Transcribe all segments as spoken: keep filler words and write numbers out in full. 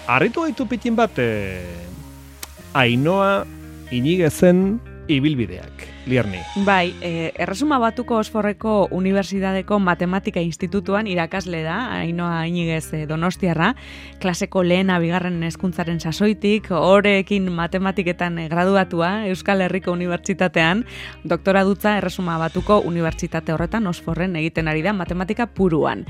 Arritu gaitu pitin bat, eh, Ainhoa Inigezen ibilbideak. Lierni. Bai, eh, Erresuma Batuko Osforreko Unibertsitateko Matematika Institutuan irakasle da, Ainhoa Inigez eh, Donostiarra, klaseko lehena bigarren hezkuntzaren sasoitik, horrekin matematiketan eh, graduatua Euskal Herriko Unibertsitatean, doktora dutza Erresuma Batuko Unibertsitate horretan Osforren egiten ari da matematika puruan.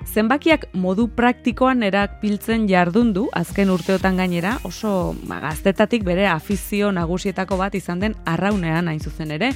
Zenbakiak modu praktikoan erabiltzen jardundu, azken urteotan gainera, oso ba, gaztetatik bere afizio nagusietako bat izan den arraunean hain zuzen ere.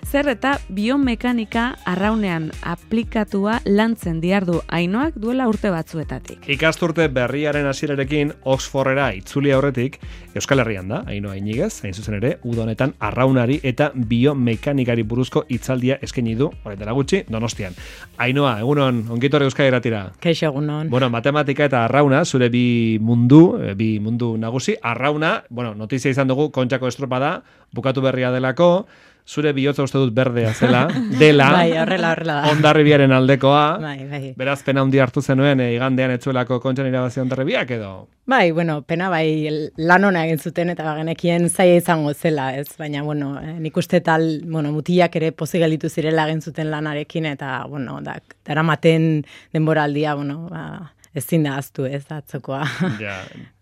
Zer eta biomekanika arraunean aplikatua lantzen diardu Ainhoak duela urte batzuetatik. Ikasturte berriaren hasierarekin Oxfordera itzuli aurretik Euskal Herrian da, Ainhoa Inigez, hain zuzen ere, uda honetan arraunari eta biomekanikari buruzko hitzaldia eskaini du, orain dela gutxi, Donostian. Ainhoa, egunon, ongitorri Euskal Herratira. Kaixo egunon. Bueno, matematika eta arrauna, zure bi mundu, bi mundu nagusi, arrauna, bueno, notizia izan dugu, Kontxako estropada, bukatu berria delako, zure bihotza uste dut berdea zela, dela, bai, horrela, horrela da. Hondarribiaren aldekoa, bai, bai. Beraz pena handi hartu zenuen, e, igandean etzuelako Kontxan irabazi Hondarribiak edo? Bai, bueno, pena bai lan ona egin zuten eta genekien zaila izango zela, ez, baina, bueno, eh, nik uste tal, bueno, mutilak ere pozik gelditu zirela egin zuten lanarekin, eta, bueno, da, daramaten denboraldia, bueno, ba, ezin da aztu, ez, atzokoa. Ja.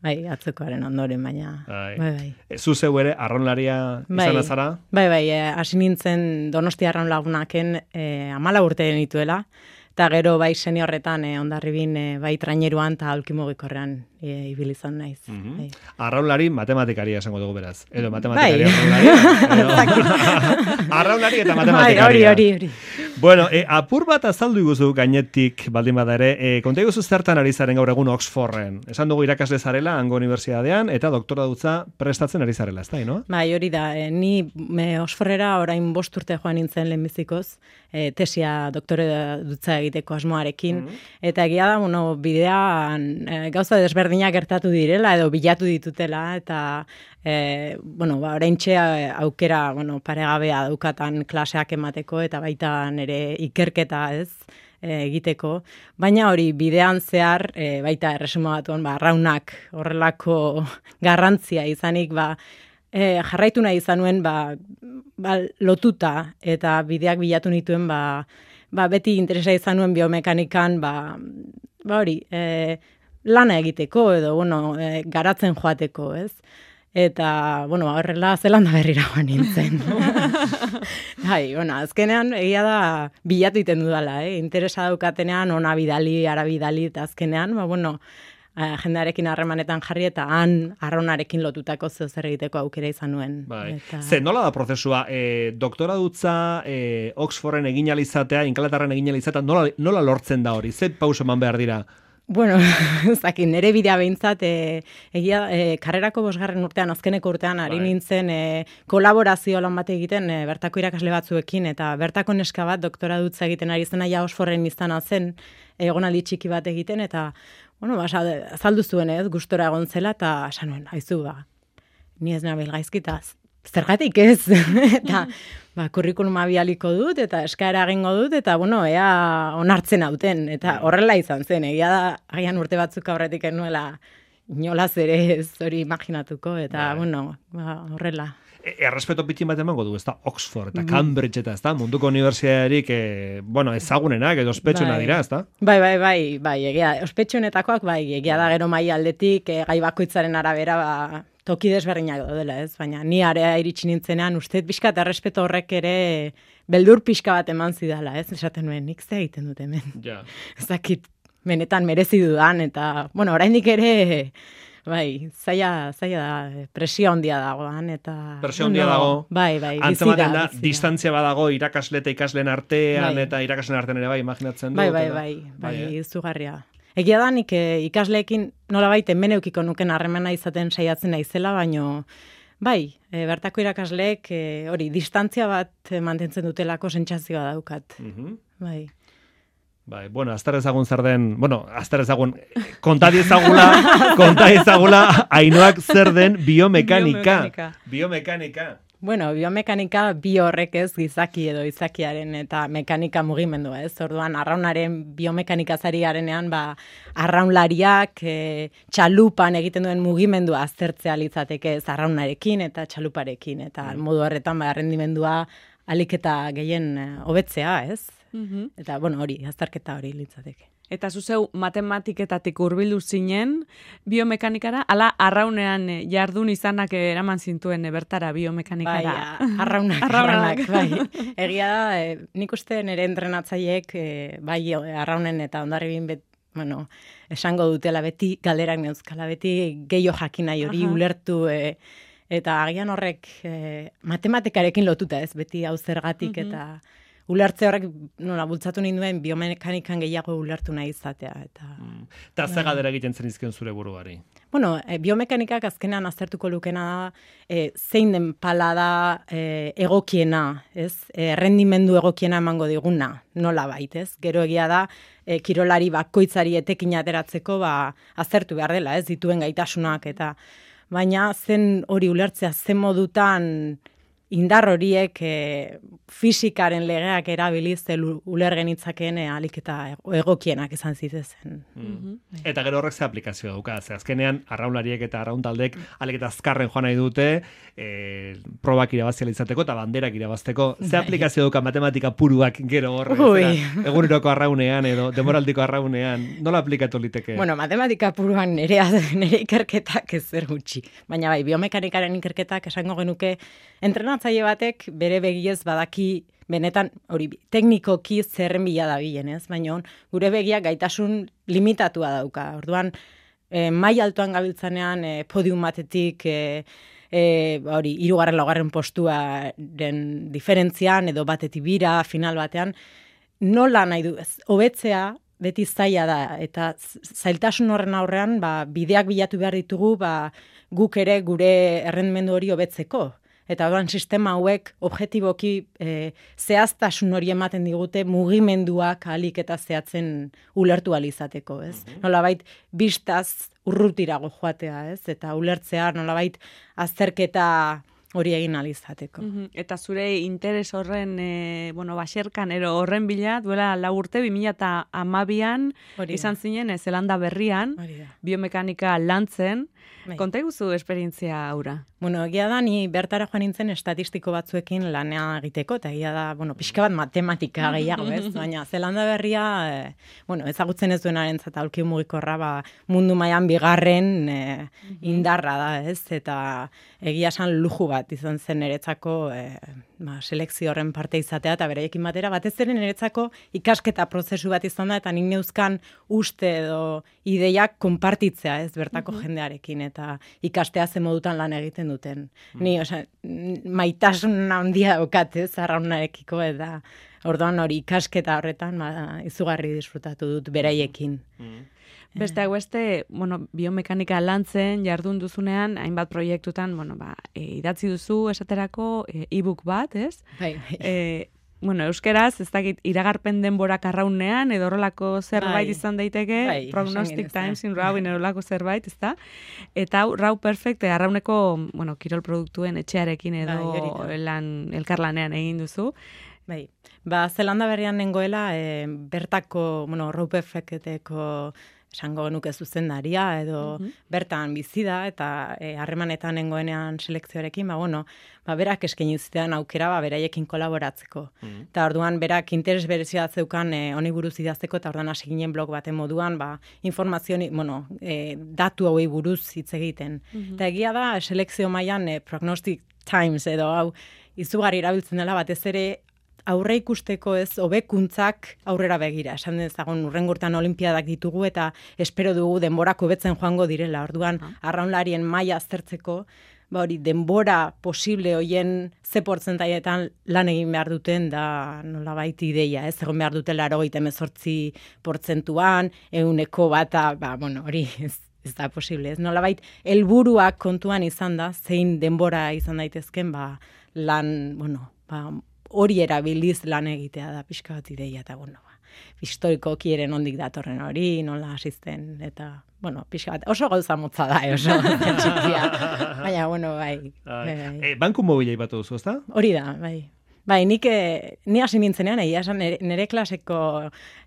Bai, atzokoaren ondoren, baina, bai, bai. bai. Zu zeu ere, arraunlaria bai, izan azara? Bai, bai, hasi eh, nintzen Donostia arraun lagunaken eh, amala urte nituela, eta gero bai seniorretan eh, Hondarribin eh, bai traineruan eta aulkimogikorrean e, ibili izan naiz. Mm-hmm. bai. Arraunlari matematikaria esango dugu beraz. Edo matematikaria bai. Arraunlaria. Arraunlari eta matematikaria. Bai, hori, hori, hori. Bueno, e, apur bat azaldu iguzu gainetik baldin bada ere, e, konta iguzu zertan ari zaren gaur egun Oxforden. Esan dugu irakasle zarela, hango unibertsitatean, eta doktora dutza prestatzen ari zarela, ez da, no? Bai, hori da. E, ni me Oxfordera orain bost urte joan nintzen lehenbizikoz, e, tesia doktore dutza egiteko asmoarekin, mm-hmm. eta egia da, bueno, bidean e, gauza desberdinak gertatu direla, edo bilatu ditutela, eta e, bueno, ba, oraintxe aukera, bueno, paregabea daukatan klaseak emateko, eta baita nere ikerketa, ez, e, egiteko, baina hori bidean zehar, e, baita Erresuma Batuan, ba, arraunak horrelako garrantzia izanik, ba, e, jarraitu nahi izan nuen, ba, ba, lotuta, eta bideak bilatu nituen, ba, ba, beti interesa izan nuen biomekanikan, ba, ba hori, e, lana egiteko, edo, bueno, e, garatzen joateko, ez? Eta, bueno, horrela Zelanda berrira joan nintzen. Hai, bueno, azkenean egia da bilatu iten dudala, eh? Interesa daukatenean, ona bidali, ara bidali, eta azkenean, ba, bueno, jendearekin harremanetan jarri eta han arraunarekin lotutako zeu zer egiteko aukera izan nuen. Bai. Eta... Ze, nola da prozesua? E, doktora dutza e, Oxforden egin alizatea, Inglaterran egin alizatea, nola, nola lortzen da hori? Ze pauso eman behar dira? Bueno, zakin, nire bidea behintzat, e, egia, e, karrerako bosgarren urtean, azkeneko urtean, ari nintzen e, kolaborazio lan bat egiten e, bertako irakasle batzuekin, eta bertako neska bat doktora dutza egiten ari zena ja Oxforden izana zen, egonaldi txiki bat egiten, eta, bueno, ba, azaldu zuen ez, gustora egon zela, eta esan nuen, haizu, ba, ni ez nabil gaizkitaz, zergatik ez, eta ba, kurrikuluma bialiko dut, eta eskaera egingo dut, eta, bueno, ea onartzen hauten, eta horrela izan zen, egia da, agian urte batzuk aurretik enuela inolaz ere ez hori imaginatuko, eta, bai. bueno, ba, horrela. Errespeto pitin bat emango du, ez da, Oxford eta Cambridge eta, ez da, munduko unibertsitaterik, e, bueno, ezagunenak edo ospetsuna bai. dira, ez da? Bai, bai, bai, bai, egia, ospetsunetakoak, bai, egia da gero mai aldetik, e, gai bakoitzaren arabera, ba, toki desberdinak daudela, ez? Baina ni area iritsi nintzenean, uste pixka eta errespeto horrek ere beldur pixka bat eman zidala, ez? Esaten nuen, nik ze egiten dut hemen. Ja. Ez dakit, benetan merezi dudan, eta, bueno, oraindik ere, bai, zaila, zaila da, presio handia dagoan, eta... Presio handia dago. Bai, bai, Antzematen da, distantzia badago irakasle eta ikasleen artean, bai. eta irakasleen artean ere bai, imaginatzen dut. Bai, bai, bai, bai, bai, izugarria. Egia da, nik ikasleekin nola baita hemen eukiko nuken harremana izaten saiatzen naizela, baino, bai, e, bertako irakasleek e, hori, distantzia bat mantentzen dutelako sentsazioa daukat. Mm-hmm. Bai. Bai, bueno, azter ezagun zer den, bueno, azter ezagun, konta diezagula, konta diezagula, Ainhoak zer den biomekanika. Biomekanika. Bueno, biomekanika bi horrek ez gizaki edo izakiaren eta mekanika mugimendua, ez? Orduan, arraunaren biomekanikazari garenean, ba, arraunlariak e, txalupan egiten duen mugimendua aztertzea litzateke ez arraunarekin eta txaluparekin, eta mm. modu horretan, ba, errendimendua alik eta gehien hobetzea, ez? Mm-hmm. Eta, bueno, hori, azterketa hori litzateke. Eta zuzeu matematiketatik hurbildu zinen biomekanikara, ala arraunean jardun izanak eraman zintuen bertara biomekanikara. Bai, arraunak, arraunak, bai. Egia da, e, nik uste nire entrenatzaileek, e, bai arraunen eta ondarribin bet, bueno, esango dutela beti, galderak neuzkala beti, gehiago jakina hori ulertu, e, eta agian horrek e, matematikarekin lotuta ez, beti hau zergatik mm-hmm. eta... Ulertze horrek, nola, bultzatu ninduen biomekanikan gehiago ulertu nahi izatea. Eta mm. Ta ze galdera egiten zen izkion zure buruari? Bueno, e, biomekanikak azkenean aztertuko lukena da, e, zein den pala da e, egokiena, ez? E, rendimendu egokiena emango diguna, nola bait, ez? Gero egia da, e, kirolari bakoitzari etekin ateratzeko, ba, aztertu behar dela, ez? Dituen gaitasunak, eta baina zen hori ulertzea, zen modutan indar horiek e, fisikaren legeak erabiliz uler genitzakeen e, alik eta egokienak izan zitezen. Mm. Eta gero horrek ze aplikazio dauka, ze azkenean arraunlariek eta arrauntaldek alik eta azkarren joan nahi dute e, probak irabazia izateko eta banderak irabazteko. Ze bai. Aplikazio dauka matematika puruak gero horre, eguneroko arraunean edo demoraldiko arraunean, nola aplikatu liteke? Bueno, matematika puruan nire, nire ikerketak ez zer gutxi, baina bai, biomekanikaren ikerketak esango genuke entrenatzaile batek bere begiez badaki benetan hori teknikoki zerren bila dabilen, ez? Baina gure begiak gaitasun limitatua dauka. Orduan, e, mai altuan gabiltzanean e, podium batetik e, e, hori hirugarren laugarren postuaren diferentzian edo batetik bira final batean nola nahi du ez? Hobetzea beti zaila da eta zailtasun horren aurrean ba, bideak bilatu behar ditugu ba, guk ere gure errendimendu hori hobetzeko. Eta orduan sistema hauek objektiboki e, zehaztasun hori ematen digute mugimenduak alik eta zehatzen ulertu ahal izateko, ez? Mm-hmm. Nolabait bistaz urrutirago joatea, ez? Eta ulertzea nolabait azterketa hori egin ahal izateko. Mm-hmm. Eta zure interes horren e, bueno, baserkan ero horren bila duela lau urte bi mila hamabian izan zinen e, Zelanda berrian biomekanika lantzen. Konta iguzu esperientzia aura? Bueno, egia da, ni bertara joan nintzen estatistiko batzuekin lanea egiteko, eta egia da, bueno, pixka bat matematika gehiago, ez? Baina, Zelanda berria, e, bueno, ezagutzen ez duenaren zata aulki mugikorra, ba, mundu mailan bigarren e, indarra da, ez? Eta egia esan luju bat izan zen niretzako e, ba, selekzio horren parte izatea, eta beraiekin batera, batez ere niretzako ikasketa prozesu bat izan da, eta nik neuzkan uste edo ideiak konpartitzea, ez? Bertako jendearekin, eta ikastea ze modutan lan egiten duten. Mm. Ni, osea, maitasun handia daukat, ez, arraunarekiko, eta orduan hori ikasketa horretan ba, izugarri disfrutatu dut beraiekin. Mm. Beste hau beste, bueno, biomekanika lantzen jardun duzunean, hainbat proiektutan, bueno, ba, e, idatzi duzu esaterako e-book bat, ez? Bai, bai. E, Bueno, euskeraz, ez dakit, iragarpen denborak arraunean, edo horrelako zerbait bai. Izan daiteke, bai, Prognostic Times in Raw, horrelako zerbait, ez da? Eta Raw Perfect, arrauneko, bueno, kirol produktuen etxearekin edo bai, lan, elkarlanean egin duzu. Bai, ba, Zelanda berrian nengoela, e, bertako, bueno, Raw Perfecteko esango genuke zuzendaria edo mm-hmm. bertan bizi da eta harremanetan e, nengoenean selekzioarekin, ba bueno, ba berak eskaini zitean aukera ba beraiekin kolaboratzeko. Mm-hmm. Eta orduan berak interes berezia zeukan e, honi buruz idazteko eta orduan hasi ginen blog baten moduan, ba informazio, bueno, e, datu hauei buruz hitz egiten. Mm-hmm. Eta egia da selekzio mailan e, Prognostic Times edo hau izugarri erabiltzen dela batez ere aurre ikusteko ez hobekuntzak aurrera begira. Esan dezagun urrengo urtean olinpiadak ditugu eta espero dugu denborako hobetzen joango direla. Orduan uh-huh. arraunlarien maila aztertzeko, ba hori denbora posible hoien ze portzentaietan lan egin behar duten da nolabait ideia, ez egon behar dutela laurogeita hemezortzi portzentuan, ehuneko bata, ba bueno, hori ez ez da posible, ez nolabait helburuak kontuan izan da, zein denbora izan daitezken, ba lan, bueno, ba hori erabiliz lan egitea da pixka bat ideia, eta bueno, ba, historikoki ere nondik datorren hori, nola asisten, eta bueno, pixka bat, oso gauza motza da, oso txikia. Baina, bueno, bai. bai. E, banku mobila ibatu duzu, ezta? Hori da, bai. Bai, nik, eh, ni hasi nintzenean, egia esan, nere, nere klaseko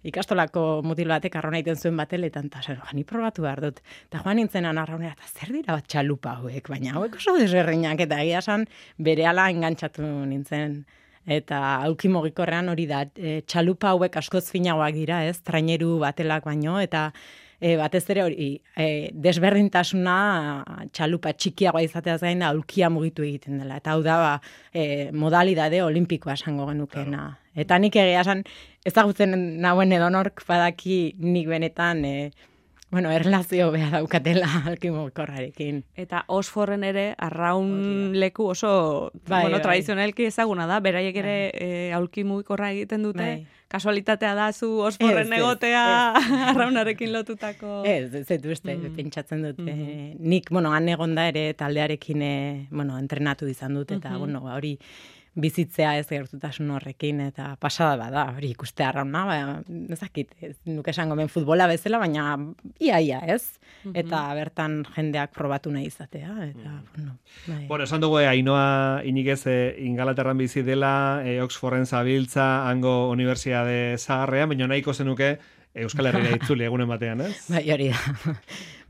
ikastolako mutil batek arrauna egiten zuen bateletan, eta zer, ni probatu behar dut. Eta joan nintzenan arraunera, eta zer dira bat txalupa hauek, baina hauek oso desberdinak, eta egia esan, berehala engantzatu nintzen. Eta aulki mugikorrean hori da, e, txalupa hauek askoz finagoak dira, ez, traineru batelak baino, eta e, batez ere hori, e, desberdintasuna txalupa txikiagoa izateaz gain da aulkia mugitu egiten dela. Eta hau da, ba, e, modalidade olimpikoa esango genukena. Eta nik egia esan, ezagutzen nauen edonork badaki nik benetan, e, bueno, erlazio beha daukatela aulki mugikorrarekin. Eta Osforren ere arraun leku oso bai, bueno, bai. tradizionalki ezaguna da, beraiek ere bai. e, aulki mugikorra egiten dute. Bai. Kasualitatea da zu Osforren egotea arraunarekin lotutako. Ez, ez dut uste, mm. pentsatzen dut. Mm -hmm. Nik, bueno, han egonda ere taldearekin, e, bueno, entrenatu izan dut, eta, mm -hmm. bueno, hori bizitzea ez gertutasun horrekin, eta pasada bada, hori ikuste arrauna, ba, ezakit, ez nuke esango ben futbola bezala, baina ia-ia, ez? Mm -hmm. Eta bertan jendeak probatu nahi izatea, eta, mm. bueno, bai. Bueno, esan dugu, Ainhoa Iñiguez e, Ingalaterran bizi dela, e, Oxforden zabiltza, hango Unibertsiade zaharrean, baina nahiko zenuke Euskal Herria itzuli egunen batean, ez? Bai, hori da.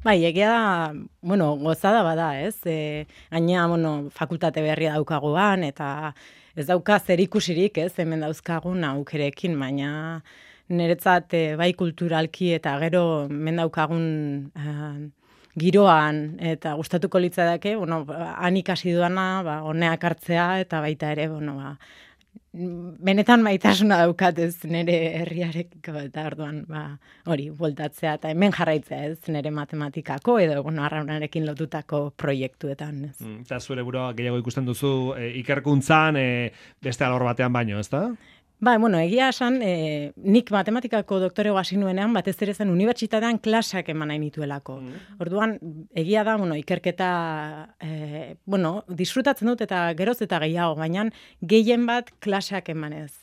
Bai, egia da, bueno, gozada bada, ez? E, gaina, bueno, fakultate berria daukaguan, eta ez dauka zer ikusirik, ez? Hemen dauzkagun aukerekin, baina niretzat e, bai kulturalki eta gero hemen daukagun e, giroan, eta gustatuko litzateke, bueno, han ikasi duana, ba, honeak hartzea, eta baita ere, bueno, ba, benetan maitasuna daukat ez nire herriarekiko, eta orduan ba, hori, bueltatzea eta hemen jarraitzea ez nire matematikako edo bueno, arraunarekin lotutako proiektuetan. Ez. Mm, eta zure burua gehiago ikusten duzu e, ikerkuntzan e, beste alor batean baino, ezta? Ba, bueno, egia esan, e, nik matematikako doktorego hasi nuenean, batez ere zen unibertsitatean klaseak eman nahi nituelako. Mm. Orduan, egia da, bueno, ikerketa, e, bueno, disfrutatzen dut eta geroz eta gehiago, baina gehien bat klaseak emanez.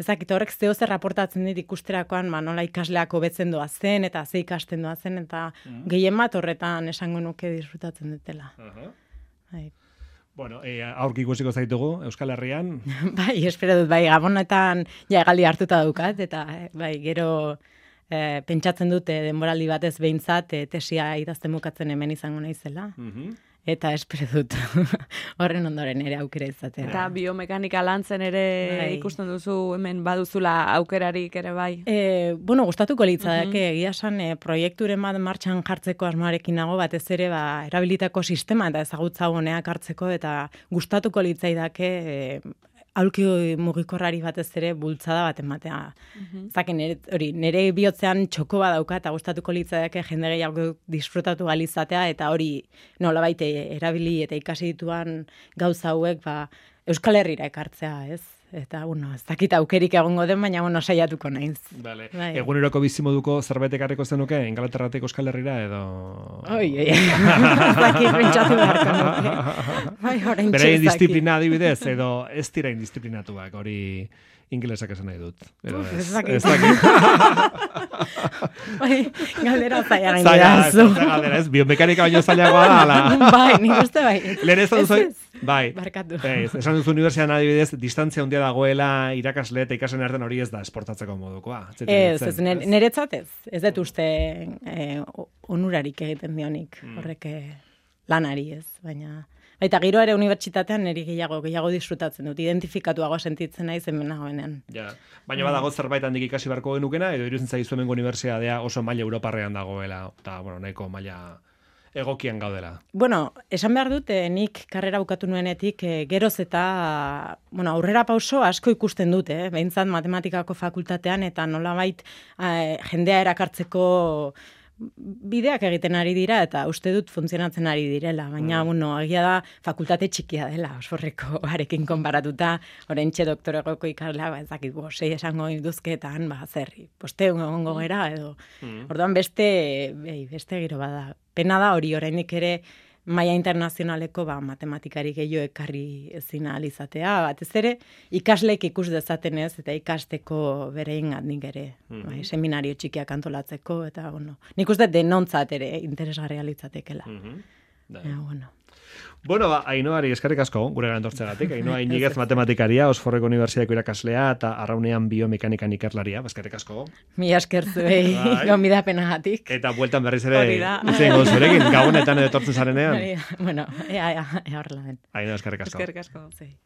Ezakit, horrek zeo zer raportatzen dit ikusterakoan, ba, nola ikasleak hobetzen doa zen, eta ze ikasten doa zen, eta mm. gehien bat horretan esango nuke disfrutatzen dutela. Uh-huh. Bai. Bueno, e, aurki ikusiko zaitugu Euskal Herrian. Bai, espero dut, bai, Gabonetan ja egaldi hartuta daukat, eta bai, gero e, pentsatzen dute denboraldi batez behintzat e, tesia idazten bukatzen hemen izango naizela. Mm-hmm. Eta espero dut horren ondoren ere aukera izatea. Eta biomekanika lantzen ere bai. Ikusten duzu hemen baduzula aukerarik ere bai? E, bueno, gustatuko litzadake, mm-hmm. egia esan e, proiekturen bat martxan jartzeko asmoarekin nago, batez ere ba, erabilitako sistema eta ezagutza honeak hartzeko, eta gustatuko litzaidake e, aulki mugikorrari batez ere bultzada bat ematea. Mm-hmm. Zaken, nire, hori, nire bihotzean txoko bat dauka eta gustatuko litzadake jende gehiago disfrutatu galizatea, eta hori nolabait erabili eta ikasi dituan gauza hauek ba, Euskal Herrira ekartzea, ez? Eta, bueno, ez dakit aukerik egongo den, baina, bueno, saiatuko naiz. Vale. Bai. Eguneroko bizimoduko zerbait ekarriko zenuke, Ingalaterratik Euskal Herrira, edo... Oi, oi, ez dakit pentsatu beharko nuke. Bai, orain txezaki. Bere indisziplina adibidez, edo ez dira indisciplinatuak, hori ingelesak esan nahi dut. Edo Uf, ez dakit. Bai, galdera zaila gain dira. Zaila, galdera ez, biomekanika baino zailagoa da, ala. Bai, nik uste bai. Lehen ez da duzu... Bai, barkatu. Ez, esan duzu unibertsian adibidez, distantzia handia dagoela irakasle eta ikasen artean hori ez da esportatzeko modukoa. Ez, ez, niretzat ez. Ez dut uste eh, onurarik egiten dionik, mm. horrek lanari ez, baina... Eta giro ere unibertsitatean niri gehiago, gehiago disfrutatzen dut, identifikatuago sentitzen naiz hemen nagoenean. Ja. Baina badago zerbait handik ikasi beharko genukena, edo iruditzen zaizu hemengo unibertsitatea oso maila europarrean dagoela, eta bueno, nahiko maila egokian gaudela. Bueno, esan behar dut, eh, nik karrera bukatu nuenetik eh, geroz eta bueno, aurrera pauso asko ikusten dut, eh? Behintzat matematikako fakultatean, eta nolabait eh, jendea erakartzeko bideak egiten ari dira, eta uste dut funtzionatzen ari direla, baina, mm. bueno, egia da fakultate txikia dela, Osforreko arekin konparatuta, orentxe doktoregoko ikaslea, ba, ezakit, bo, sei esango induzketan, ba, zerri, poste egongo gera, edo, mm. orduan beste, bei, beste giro bada. Pena da hori, oraindik ere, maila internazionaleko ba, matematikari gehiago ekarri ezin ahal izatea, batez ere ikasleek ikus dezaten ez, eta ikasteko berein nik ere, Mhm. bai, seminario txikiak antolatzeko, eta bueno, nik uste denontzat ere interesgarria litzatekela. Mhm. Da. Ja, bueno. Bueno, ba, Ainoari eskerrik asko gure gara entortzegatik. Ainoa Inigez matematikaria, Osforreko Unibertsitateko irakaslea eta Arraunean biomekanikan ikerlaria. Ba, eskerrik asko. Mi esker zuei Bai. gonbidapenagatik. Eta bueltan berriz ere Hori da. itzen gozu erekin, gabonetan edo etortzen zarenean. Bueno, ea, ea, ea horrela den. Ainoa eskerrik asko. Eskerrik asko. Zei.